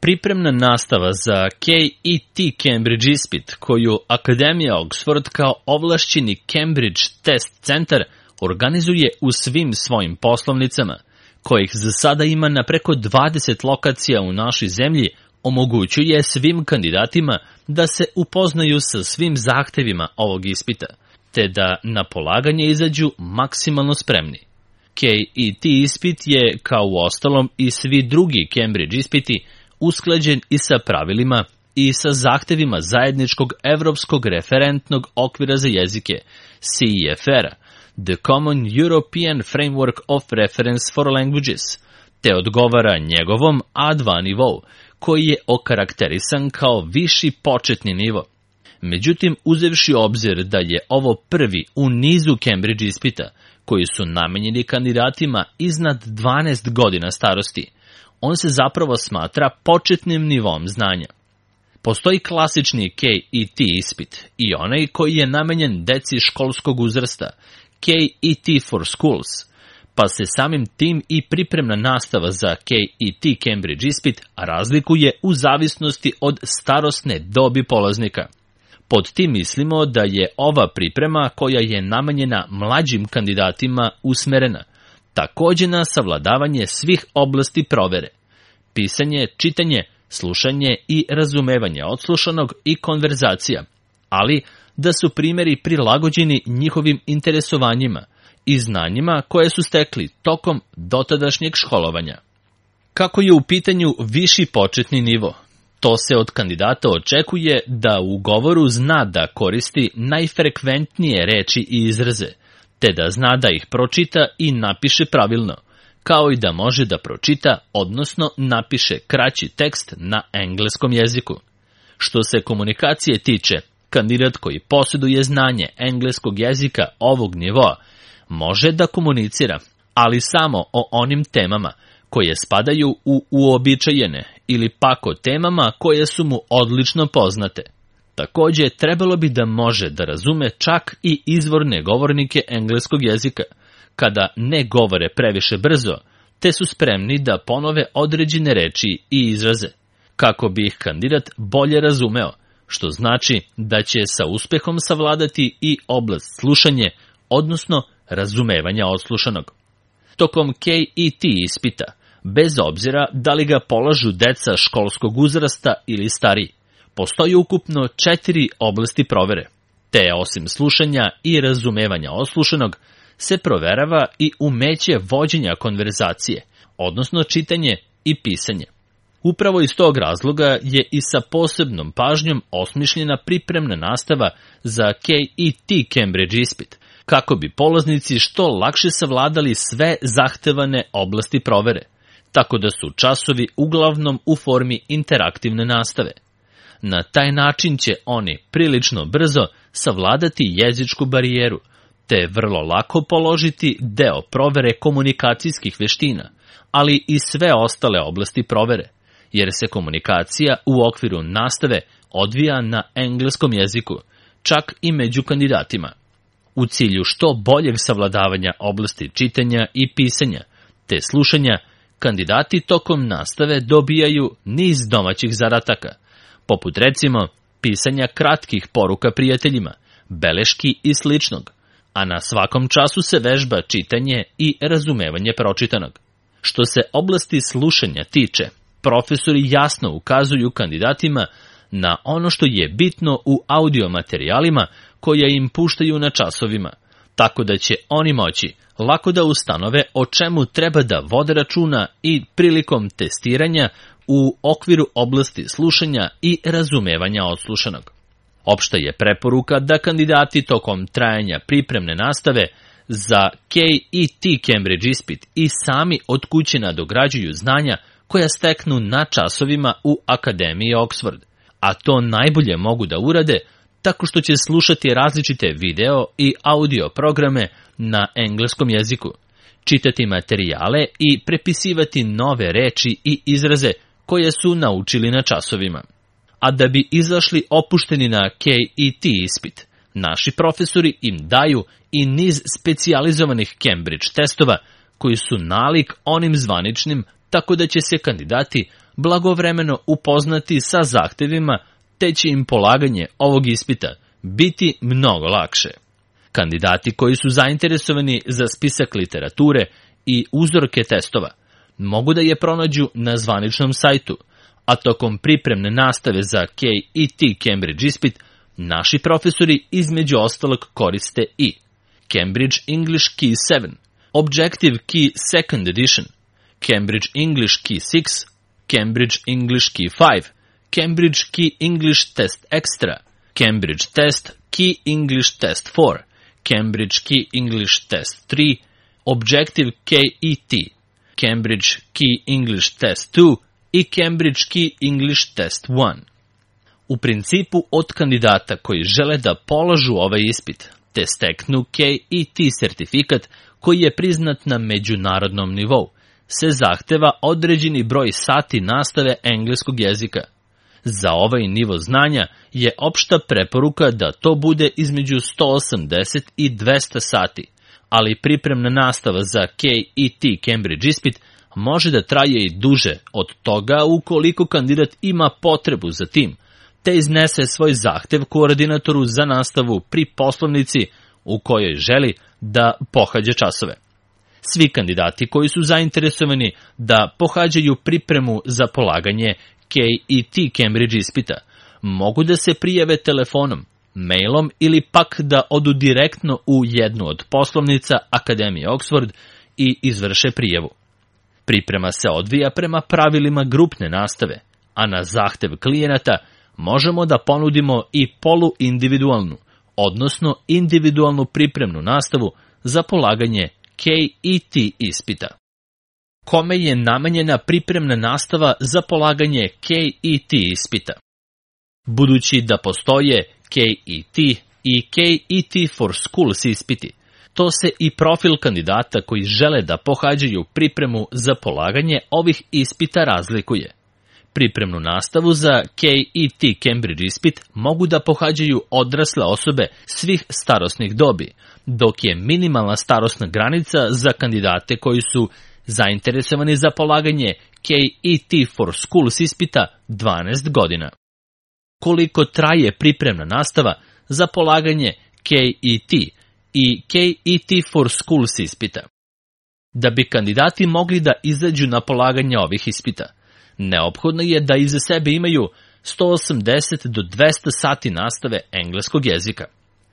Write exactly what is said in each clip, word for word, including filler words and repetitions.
pripremna nastava za K E T Cambridge ispit, koju Akademija Oxford kao ovlašćeni Cambridge Test Centar organizuje u svim svojim poslovnicama, kojih za sada ima na preko dvadeset lokacija u našoj zemlji, omogućuje svim kandidatima da se upoznaju sa svim zahtevima ovog ispita, te da na polaganje izađu maksimalno spremni. K E T ispit je, kao u ostalom i svi drugi Cambridge ispiti, usklađen i sa pravilima i sa zahtevima zajedničkog evropskog referentnog okvira za jezike, C E F R-a, The Common European Framework of Reference for Languages, te odgovara njegovom A dva nivou, koji je okarakterisan kao viši početni nivo. Međutim, uzevši obzir da je ovo prvi u nizu Cambridge ispita, koji su namenjeni kandidatima iznad dvanaest godina starosti, on se zapravo smatra početnim nivom znanja. Postoji klasični K E T ispit i onaj koji je namenjen deci školskog uzrasta, K E T for Schools, pa se samim tim i pripremna nastava za K E T Cambridge ispit razlikuje u zavisnosti od starosne dobi polaznika. Pod tim mislimo da je ova priprema koja je namenjena mlađim kandidatima usmerena, takođe na savladavanje svih oblasti provere, pisanje, čitanje, slušanje i razumevanje odslušanog i konverzacija, ali da su primeri prilagođeni njihovim interesovanjima i znanjima koje su stekli tokom dotadašnjeg školovanja. Kako je u pitanju viši početni nivo, to se od kandidata očekuje da u govoru zna da koristi najfrekventnije reči i izraze, te da zna da ih pročita i napiše pravilno, kao i da može da pročita, odnosno napiše kraći tekst na engleskom jeziku. Što se komunikacije tiče, kandidat koji posjeduje znanje engleskog jezika ovog nivoa može da komunicira, ali samo o onim temama koje spadaju u uobičajene ili pak o temama koje su mu odlično poznate. Takođe, trebalo bi da može da razume čak i izvorne govornike engleskog jezika, kada ne govore previše brzo, te su spremni da ponove određene reči i izraze, kako bi ih kandidat bolje razumeo, što znači da će sa uspehom savladati i oblast slušanje, odnosno razumevanja odslušanog. Tokom K E T ispita, bez obzira da li ga polažu deca školskog uzrasta ili stariji, postoji ukupno četiri oblasti provere, te osim slušanja i razumevanja odslušanog, se proverava i umeće vođenja konverzacije, odnosno čitanje i pisanje. Upravo iz tog razloga je i sa posebnom pažnjom osmišljena pripremna nastava za K E T Cambridge ispit, kako bi polaznici što lakše savladali sve zahtevane oblasti provere, tako da su časovi uglavnom u formi interaktivne nastave. Na taj način će oni prilično brzo savladati jezičku barijeru, te vrlo lako položiti deo provere komunikacijskih veština, ali i sve ostale oblasti provere, jer se komunikacija u okviru nastave odvija na engleskom jeziku, čak i među kandidatima. U cilju što boljeg savladavanja oblasti čitanja i pisanja, te slušanja, kandidati tokom nastave dobijaju niz domaćih zadataka, poput recimo pisanja kratkih poruka prijateljima, beleški i sličnog, a na svakom času se vežba čitanje i razumevanje pročitanog. Što se oblasti slušanja tiče, profesori jasno ukazuju kandidatima na ono što je bitno u audio materijalima koje im puštaju na časovima, tako da će oni moći lako da ustanove o čemu treba da vode računa i prilikom testiranja u okviru oblasti slušanja i razumevanja odslušanog. Opšta je preporuka da kandidati tokom trajanja pripremne nastave za K E T Cambridge ispit i sami od kuće nadograđuju znanja koja steknu na časovima u Akademiji Oxford, a to najbolje mogu da urade tako što će slušati različite video i audio programe na engleskom jeziku, čitati materijale i prepisivati nove reči i izraze koje su naučili na časovima. A da bi izašli opušteni na K E T ispit, naši profesori im daju i niz specijalizovanih Cambridge testova koji su nalik onim zvaničnim, tako da će se kandidati blagovremeno upoznati sa zahtevima, te će im polaganje ovog ispita biti mnogo lakše. Kandidati koji su zainteresovani za spisak literature i uzorke testova mogu da je pronađu na zvaničnom sajtu, a tokom pripremne nastave za K E T Cambridge ispit naši profesori između ostalog koriste i Cambridge English Key sedam, Objective Key second Edition, Cambridge English Key šest, Cambridge English Key pet, Cambridge Key English Test Extra, Cambridge Test Key English Test četiri, Cambridge Key English Test tri, Objective K E T, Cambridge Key English Test dva i Cambridge Key English Test jedan. U principu od kandidata koji žele da polažu ovaj ispit te steknu K E T sertifikat koji je priznat na međunarodnom nivou, se zahteva određeni broj sati nastave engleskog jezika. Za ovaj nivo znanja je opšta preporuka da to bude između sto osamdeset i dvesta sati, ali pripremna nastava za K E T Cambridge ispit može da traje i duže od toga ukoliko kandidat ima potrebu za tim, te iznese svoj zahtev koordinatoru za nastavu pri poslovnici u kojoj želi da pohađa časove. Svi kandidati koji su zainteresovani da pohađaju pripremu za polaganje K E T Cambridge ispita mogu da se prijave telefonom, mailom ili pak da odu direktno u jednu od poslovnica Akademije Oxford i izvrše prijavu. Priprema se odvija prema pravilima grupne nastave, a na zahtev klijenata možemo da ponudimo i poluindividualnu, odnosno individualnu pripremnu nastavu za polaganje K E T ispita. Kome je namenjena pripremna nastava za polaganje K E T ispita? Budući da postoje K E T i K E T for Schools ispiti, to se i profil kandidata koji žele da pohađaju pripremu za polaganje ovih ispita razlikuje. Pripremnu nastavu za K E T Cambridge ispit mogu da pohađaju odrasle osobe svih starosnih dobi, dok je minimalna starosna granica za kandidate koji su zainteresovani za polaganje K E T for Schools ispita dvanaest godina. Koliko traje pripremna nastava za polaganje K E T i K E T for Schools ispita? Da bi kandidati mogli da izađu na polaganje ovih ispita, neophodno je da iza sebe imaju sto osamdeset do dvesta sati nastave engleskog jezika.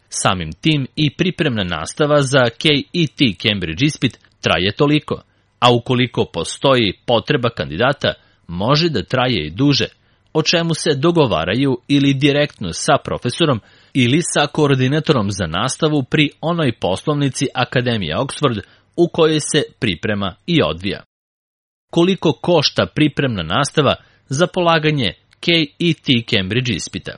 Samim tim i pripremna nastava za K E T Cambridge ispit traje toliko, a ukoliko postoji potreba kandidata, može da traje i duže, o čemu se dogovaraju ili direktno sa profesorom ili sa koordinatorom za nastavu pri onoj poslovnici Akademije Oxford u kojoj se priprema i odvija. Koliko košta pripremna nastava za polaganje K E T Cambridge ispita?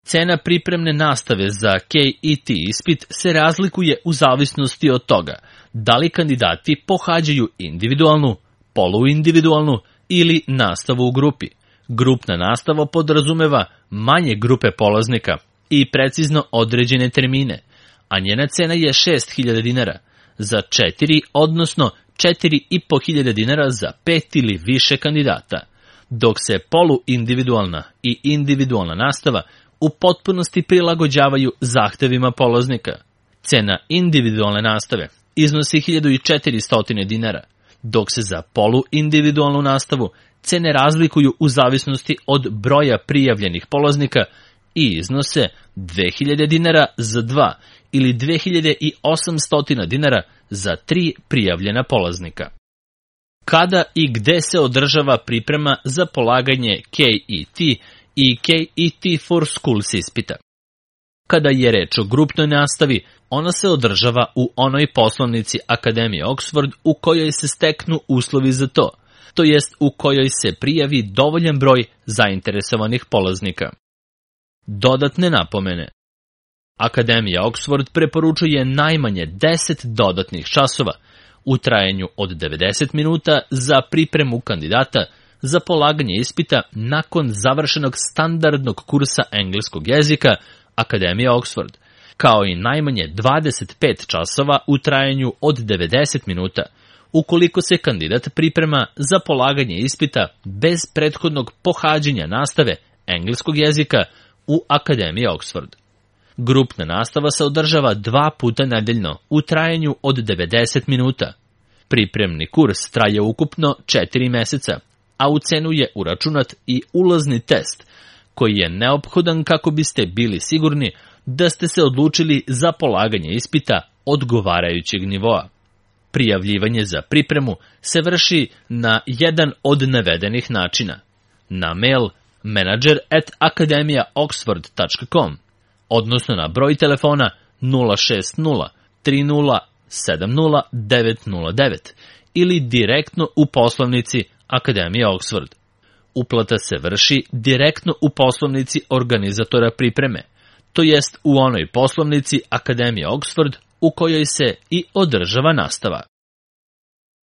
Cena pripremne nastave za K E T ispit se razlikuje u zavisnosti od toga da li kandidati pohađaju individualnu, poluindividualnu ili nastavu u grupi. Grupna nastava podrazumeva manje grupe polaznika i precizno određene termine, a njena cena je šest hiljada dinara za četiri, odnosno četiri i po hiljade dinara za pet ili više kandidata, dok se poluindividualna i individualna nastava u potpunosti prilagođavaju zahtevima polaznika. Cena individualne nastave iznosi hiljadu četiristo dinara, dok se za poluindividualnu nastavu cene razlikuju u zavisnosti od broja prijavljenih polaznika i iznose dve hiljade dinara za dva ili dve hiljade osamsto dinara za tri prijavljena polaznika. Kada i gde se održava priprema za polaganje K E T i K E T for Schools ispita? Kada je reč o grupnoj nastavi, ona se održava u onoj poslovnici Akademije Oxford u kojoj se steknu uslovi za to, to jest u kojoj se prijavi dovoljan broj zainteresovanih polaznika. Dodatne napomene. Akademija Oxford preporučuje najmanje deset dodatnih časova u trajanju od devedeset minuta za pripremu kandidata za polaganje ispita nakon završenog standardnog kursa engleskog jezika Akademije Oxford, kao i najmanje dvadeset pet časova u trajanju od devedeset minuta ukoliko se kandidat priprema za polaganje ispita bez prethodnog pohađanja nastave engleskog jezika u Akademiji Oxford. Grupna nastava se održava dva puta nedeljno u trajanju od devedeset minuta. Pripremni kurs traje ukupno četiri meseca, a u cenu je uračunat i ulazni test, koji je neophodan kako biste bili sigurni da ste se odlučili za polaganje ispita odgovarajućeg nivoa. Prijavljivanje za pripremu se vrši na jedan od navedenih načina: na mail manager at akademija oxford tačka com, odnosno na broj telefona nula šest nula tri nula sedam nula devet nula devet ili direktno u poslovnici Akademije Oxford. Uplata se vrši direktno u poslovnici organizatora pripreme, to jest u onoj poslovnici Akademije Oxford u kojoj se i održava nastava.